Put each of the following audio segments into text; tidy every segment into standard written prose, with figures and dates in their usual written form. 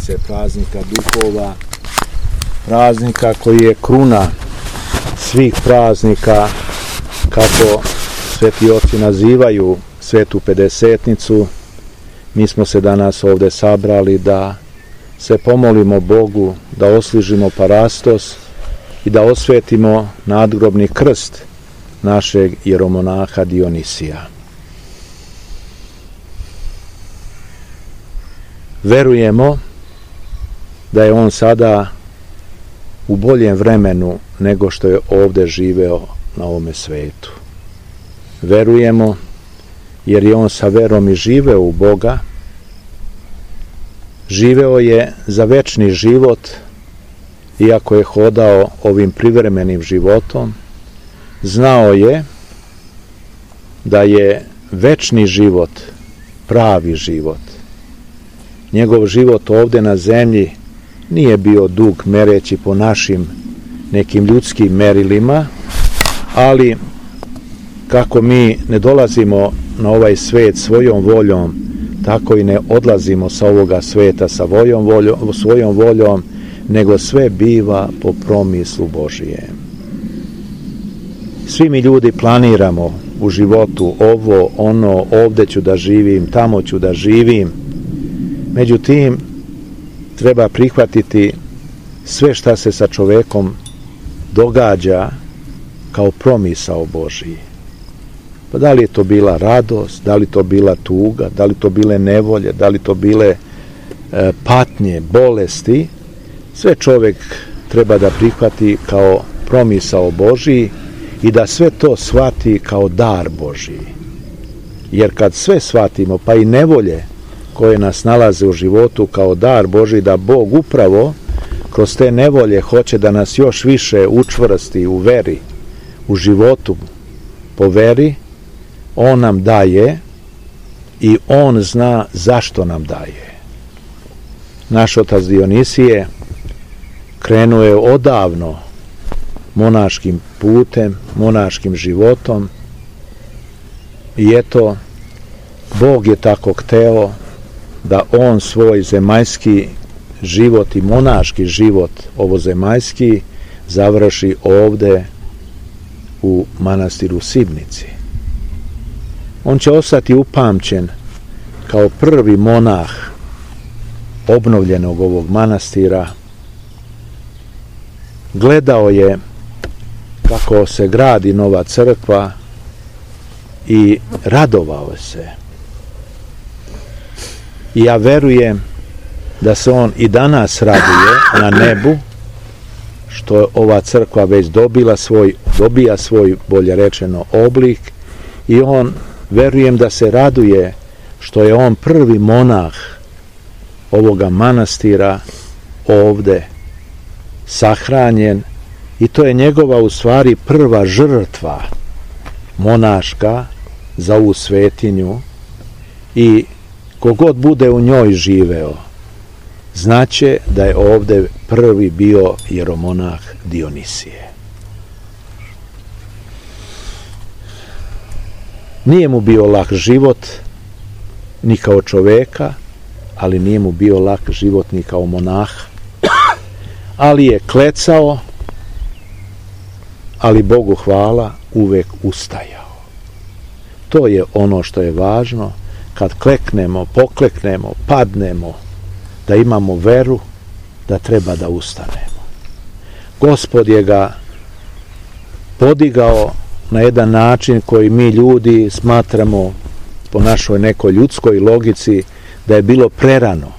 sedmice praznika duhova, praznika koji je kruna svih praznika, kako sveti oci nazivaju svetu pedesetnicu. Mi smo se danas ovdje sabrali da se pomolimo Bogu, da osližimo parastos i da osvetimo nadgrobni krst našeg jeromonaha Dionisija. Verujemo da je on sada u boljem vremenu nego što je ovdje živeo na ovome svetu. Verujemo jer je on sa verom i živeo u Boga, živeo je za večni život, iako je hodao ovim privremenim životom, znao je da je večni život pravi život. Njegov život ovdje na zemlji nije bio dug mereći po našim nekim ljudskim merilima, ali kako mi ne dolazimo na ovaj svet svojom voljom, tako i ne odlazimo sa ovoga sveta sa svojom voljom, nego sve biva po promislu Božijem. Svi mi ljudi planiramo u životu ovo, ono, ovdje ću da živim, tamo ću da živim. Međutim, treba prihvatiti sve šta se sa čovekom događa kao promisao Božiji. Pa da li je to bila radost, da li to bila tuga, da li to bile nevolje, da li to bile patnje, bolesti, sve čovjek treba da prihvati kao promisao Božiji i da sve to shvati kao dar Božiji. Jer kad sve shvatimo, pa i nevolje koje nas nalaze u životu kao dar Božiji, da Bog upravo kroz te nevolje hoće da nas još više učvrsti u veri, u životu po veri, on nam daje i on zna zašto nam daje. Naš otac Dionisije krenuo je odavno monaškim putem, monaškim životom i eto, Bog je tako hteo da on svoj zemaljski život i monaški život ovozemaljski završi ovde u manastiru Sibnici. On će ostati upamćen kao prvi monah obnovljenog ovog manastira. Gledao je kako se gradi nova crkva i radovao se. I ja verujem da se on i danas raduje na nebu, što je ova crkva već dobija svoj, bolje rečeno, oblik, i on, verujem da se raduje što je on prvi monah ovoga manastira ovde sahranjen, i to je njegova u stvari prva žrtva monaška za ovu svetinju, i kogod bude u njoj živeo znaće da je ovde prvi bio jeromonah Dionisije. Nije mu bio lak život ni kao čoveka, ali nije mu bio lak život ni kao monaha, ali je klecao, ali Bogu hvala, uvek ustajao. To je ono što je važno, kad kleknemo, pokleknemo, padnemo, da imamo veru da treba da ustanemo. Gospod je ga podigao na jedan način koji mi ljudi smatramo po našoj nekoj ljudskoj logici da je bilo prerano,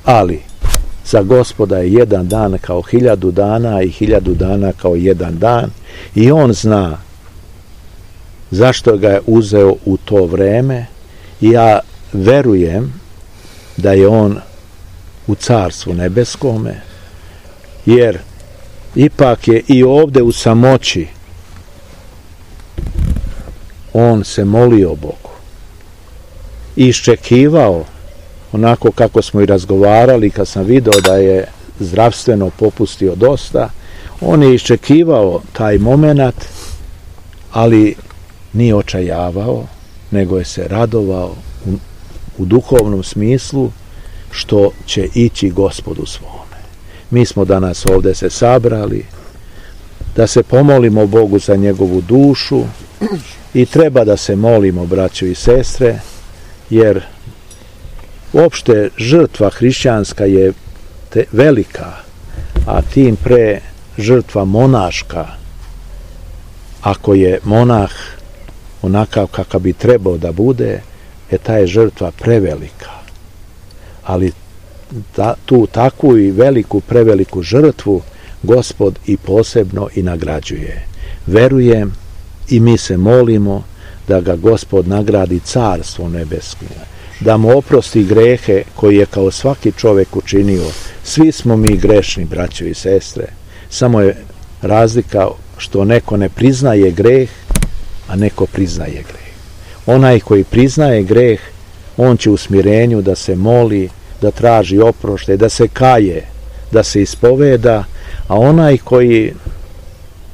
ali za Gospoda je jedan dan kao 1000 dana i 1000 dana kao jedan dan, i on zna zašto ga je uzeo u to vreme, i ja verujem da je on u Carstvu nebeskome, jer ipak je i ovde u samoći on se molio Bogu i iščekivao, onako kako smo i razgovarali, kad sam video da je zdravstveno popustio dosta, on je iščekivao taj moment, ali nije očajavao, nego je se radovao u duhovnom smislu, što će ići Gospodu svome. Mi smo danas ovdje se sabrali da se pomolimo Bogu za njegovu dušu i treba da se molimo, braćo i sestre, jer uopšte žrtva hrišćanska je velika, a tim pre žrtva monaška. Ako je monah onakav kakav bi trebao da bude, ta je žrtva prevelika. Ali tu takvu i veliku, preveliku žrtvu Gospod i posebno i nagrađuje. Verujem i mi se molimo da ga Gospod nagradi carstvo nebesko, da mu oprosti grehe koje je kao svaki čovjek učinio. Svi smo mi grešni, braćo i sestre, samo je razlika što neko ne priznaje greh, a neko priznaje greh. Onaj koji priznaje greh, on će u smirenju da se moli, da traži oproštaj, da se kaje, da se ispoveda, a onaj koji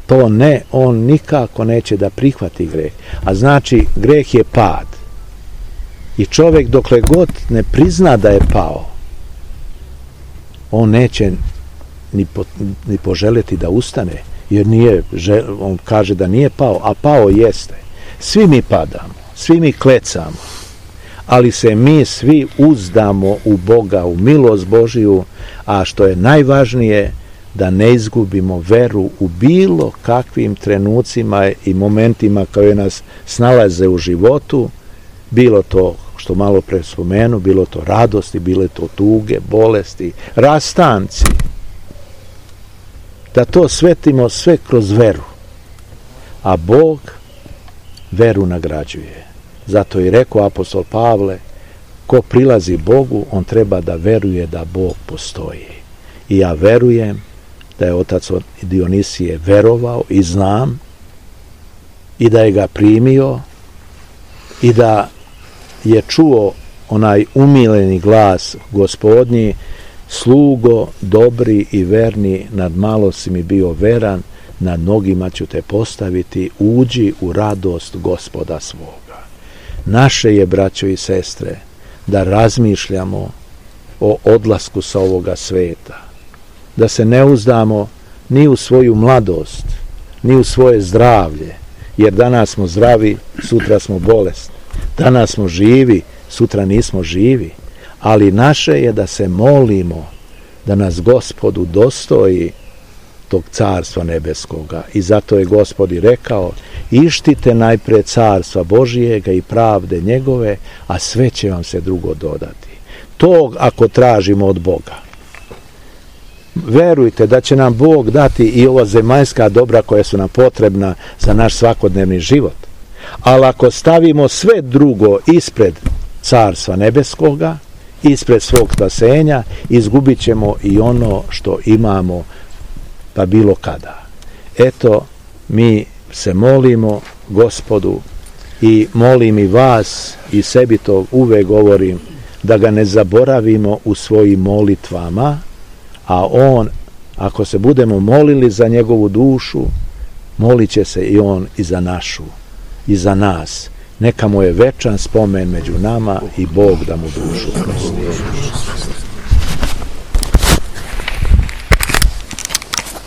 to ne, on nikako neće da prihvati greh. A znači, greh je pad. I čovjek dokle god ne prizna da je pao, on neće ni poželjeti da ustane, jer on kaže da nije pao, a pao jeste. Svi mi padamo, svi mi klecamo, ali se mi svi uzdamo u Boga, u milost Božiju, a što je najvažnije, da ne izgubimo veru u bilo kakvim trenucima i momentima koje nas snalaze u životu, bilo to što malo pre spomenu, bilo to radosti, bilo to tuge, bolesti, rastanci. Da to svetimo sve kroz veru. A Bog veru nagrađuje. Zato i rekao apostol Pavle, ko prilazi Bogu, on treba da veruje da Bog postoji. I ja verujem da je otac Dionisije verovao i znam, i da je ga primio, i da je čuo onaj umiljeni glas Gospodnji: slugo, dobri i verni, nad malo si mi bio veran, nad mnogima ću te postaviti, uđi u radost Gospoda svoga. Naše je, braćo i sestre, da razmišljamo o odlasku sa ovoga sveta, da se ne uzdamo ni u svoju mladost, ni u svoje zdravlje, jer danas smo zdravi, sutra smo bolesni, danas smo živi, sutra nismo živi, ali naše je da se molimo da nas Gospod udostoji tog carstva nebeskoga. I zato je Gospod i rekao: ištite najpre carstva Božijega i pravde njegove, a sve će vam se drugo dodati. To ako tražimo od Boga. Verujte da će nam Bog dati i ova zemaljska dobra koja su nam potrebna za naš svakodnevni život. Ali ako stavimo sve drugo ispred carstva nebeskoga, ispred svog spasenja, izgubit ćemo i ono što imamo, pa bilo kada. Eto, mi se molimo Gospodu i molim i vas, i sebi to uvek govorim, da ga ne zaboravimo u svojim molitvama, a on, ako se budemo molili za njegovu dušu, molit će se i on i za našu, i za nas. Neka mu je večan spomen među nama i Bog da mu dušu prosti.